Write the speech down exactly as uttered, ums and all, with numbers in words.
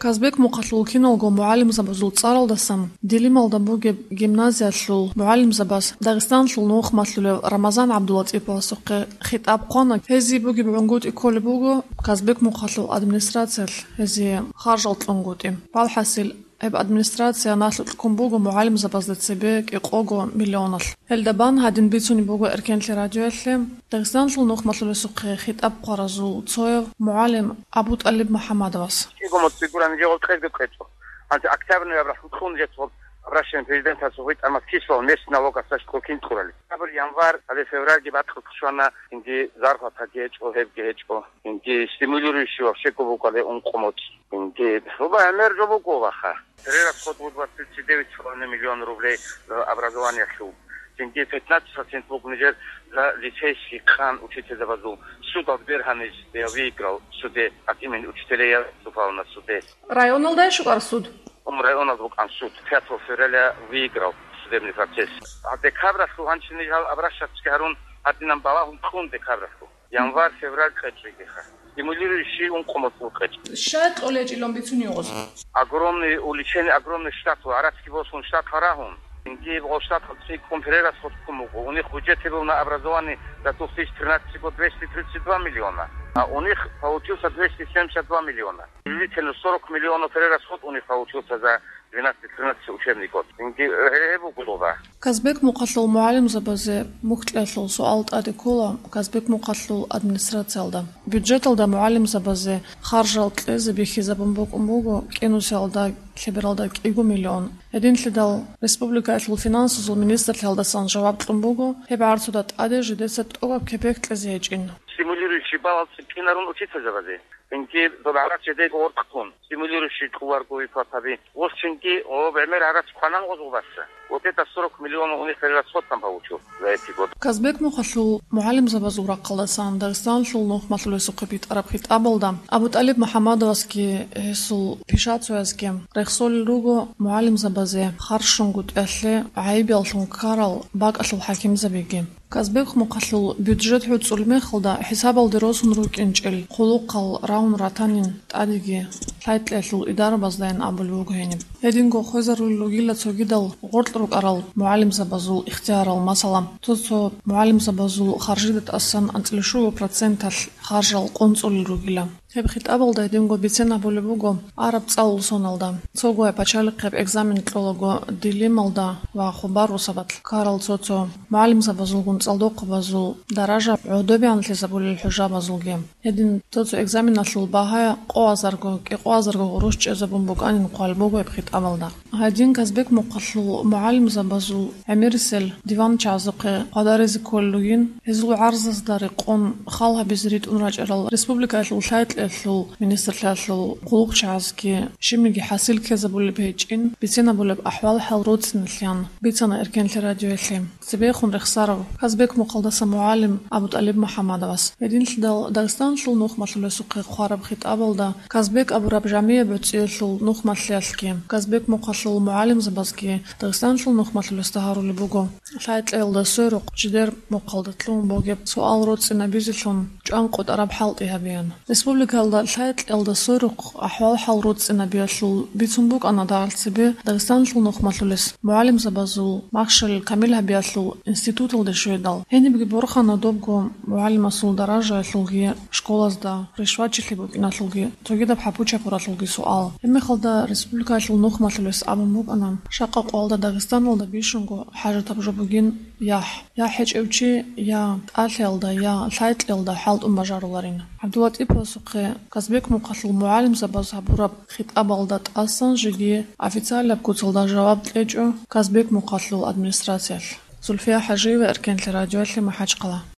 Казбек-Мухъалъул киналго мугӀалимзабазул цӀаралдасан Дилималда бугеб гимназиялъул мугӀалимзабаз Дагъистаналъул нухмалъулев Рамазан ГӀабдулатӀиповасухъе хитӀаб хъвана. Гьезие бугеб гӀунгутӀи кколеб буго Казбек-Мухъалъул администрациялъ гьезие харжал кьунгутӀи. Валхъасил, гьеб администрация налъукь ккун буго мугӀалимзабазда цебе кӀикъого миллионалъ. Гьелда бан гьадин бицунеб буго Эркенлъи радиоялъе Дагъистаналъул нухмалъулесухъе хитӀаб хъваразул цояв мугӀалим АбутӀалиб МухӀаммадовас. КӀиго моцӀи гуран жо гъоркьезги кьечӀо. Гьанже октябрь, ноябрь хутӀун жо цо обращение президентасухъе тӀамас кисло, мест налогасда кин кьурали. Октябрь, январь, гьале февральги бакьулъ щвана, инги зарплатаги гьечӀо, гьебги гьечӀо. Инги стимулирующий вообще ккун буго гьале ункъо моцӀ. Инги, ну, ба, гӀемер жо буго, ваха. Перерасход вуд ва тридцать девять с половиной миллион рублей за образованиялъул. Цинги пятнадцать процент буго нижер за лицейский къан учительзабазул. Судалда бергьанищ я выиграл в суде, от имени учителей я выступал на суде. Районалда щукӀар суд? Ум районалда букӀан суд. Пятого февраля выиграл судебный процесс. А декабралъул гьанчи ниж гьал обращаться гьарун, гьадинан балагьун кьун декабралъул. Январь, февраль кьечӀигиха. Стимулирующий ункъо моцӀ кьечӀ. Щай кьолечӀилан бицунев гъоз? Огромный увеличение, огромный штат, гьарацги босун штат гьарагьун. Инги гъол штат цӀикӀкӀун перерасход ккун буго. У них в бюджете был на образование за две тысячи тринадцатый год двести тридцать два миллиона, а у них получился двести семьдесят два миллиона. Приблизительно сорок миллионов перерасход у них получился за двенадцать тринадцать учебный год. Инги гьеб буго доба. Казбек-Мухъалъул мугӀалимзабазе мухь кьеялъул суал тӀаде ккола Казбек-Мухъалъул администрациялда. Бюджеталда мугӀалимзабазе харжал кьезе бихьизабун букӀун буго кӀинусиялда лъебералда кӀиго миллион. Гьединлъидал республикаялъул финансазул министрлъиялдасан жаваб кьун буго, гьеб гӀарцуда тӀаде жидеца тӀубаб кепек кьезе гьечӀин. Стимулирующий балл цӀикӀкӀинарун учительзабазе. Инги доб гӀарац жидейго гъоркьун, стимулирующий кьуларго выплатаби. Гъос цинги, о, гӀемер гӀарац кванан гъозул баса. Вот это сорок миллионов у них перерасход там получил за эти годы. Казбек-Мухъалъул мугӀалимзабазул рахъалдасан Дагъистаналъул нухмалъулесухъе битӀараб хитӀабалда АбутӀалиб МухӀаммадовасги гьесул пишацоязги рехсолел руго мугӀалимзабазе харжунгутӀиялъе гӀайибияллъун ккарал бакӀалъул хӀакимзабиги. Казбек-Мухъалъул бюджет гӀуцӀул мехалда хӀисабалде росун рукӀинчӀел хъулухъал рагьун ратанин тӀадеги лъай-кьеялъул идарабаздайин абулеб буго гьениб. Гьединго хвезарулел ругила цогидал гъоркь рукӀарал мугӀалимзабазул ихтиярал, масала, цо-цо мугӀалимзабазул харжида тӀасан анцӀила щуго проценталъ харжал къунцӀулел ругила. Гьеб хитӀабалда гьединго бицен абулеб буго араб цӀалул соналда. Цогояй пачалихъеб экзамен кьолаго Дилималда ва Хубар росабалъ ккарал цо-цо мугӀалимзабазулгун цӀалдохъабазул даража гӀодобеян лъезабулел хӀужабазулги. Гьедин цо-цо экзаменалъул багьа къоазарго, кӀикъоазарго гъурущ чӀезабун букӀанин хъван буго гьеб хитӀабалда. Гьадин Казбек-Мухъалъул мугӀалимзабазул гӀемерисел диванчагӀазухъе хъвадаризе кколел ругин, гьезул гӀарзазда рекъон хал гьабизе ритӀун рачӀарал республикаялъул лъай-кьеялъул министрлъиялъул хъулухъчагӀазги щибниги хӀасил ккезабулеб гьечӀин бицен абулеб ахӀвал-хӀал роцӀцӀиналъеян бицана Эркенлъи радиоялъе. Цебехун рехсарав Казбек-Мухъалдаса мугӀалим АбутӀалиб МухӀаммадовас. Гьединлъидал Дагъистаналъул нухмалъулесухъе хъвараб хитӀабалда Казбек абураб жамияб гӀуцӀиялъул нухмалъиялъги, Казбек-Мухъалъул мугӀалимзабазги Дагъистаналъул нухмалъулесда гьарулеб буго. Лъай-кьеялда сверухъ жидер мухъалда лъугьун бугеб суал роцӀцӀинабизелъун чӀван къотӀараб хӀалтӀи гьабеян. Республикаялда лъай-кьеялда сверухъ ахӀвал-хӀал роцӀцӀинабиялъул бицун букӀана дагьалцебе Дагъистаналъул нухмалъулес мугӀалимзабазул махщел камил гьабиялъул институталде щведал. Гьенибги борхана добго мугӀалимасул даражаялъулги, школазда ришвачилъи букӀиналъулги, цогидаб хӀапу-чапуралъулги суал. Гьебмехалда республикаялъул нухмалъулес абун букӀана, жакъа къоялда Дагъистаналда бищунго хӀажатаб жо бугин яхӀ. Я гьечӀев чи, я тӀалъиялда, я лъай-кьеялда хӀалтӀун бажаруларин. ГӀабдулатӀиповасухъе Казбек-Мухъалъул мугӀалимзабаз гьабураб хитӀабалда тӀасан жеги официалаб куцалда жаваб кьечӀо Казбек-Мухъалъул администрациялъ. Зульфия ХӀажиева, Эркенлъи радиоялъе, МахӀачхъала.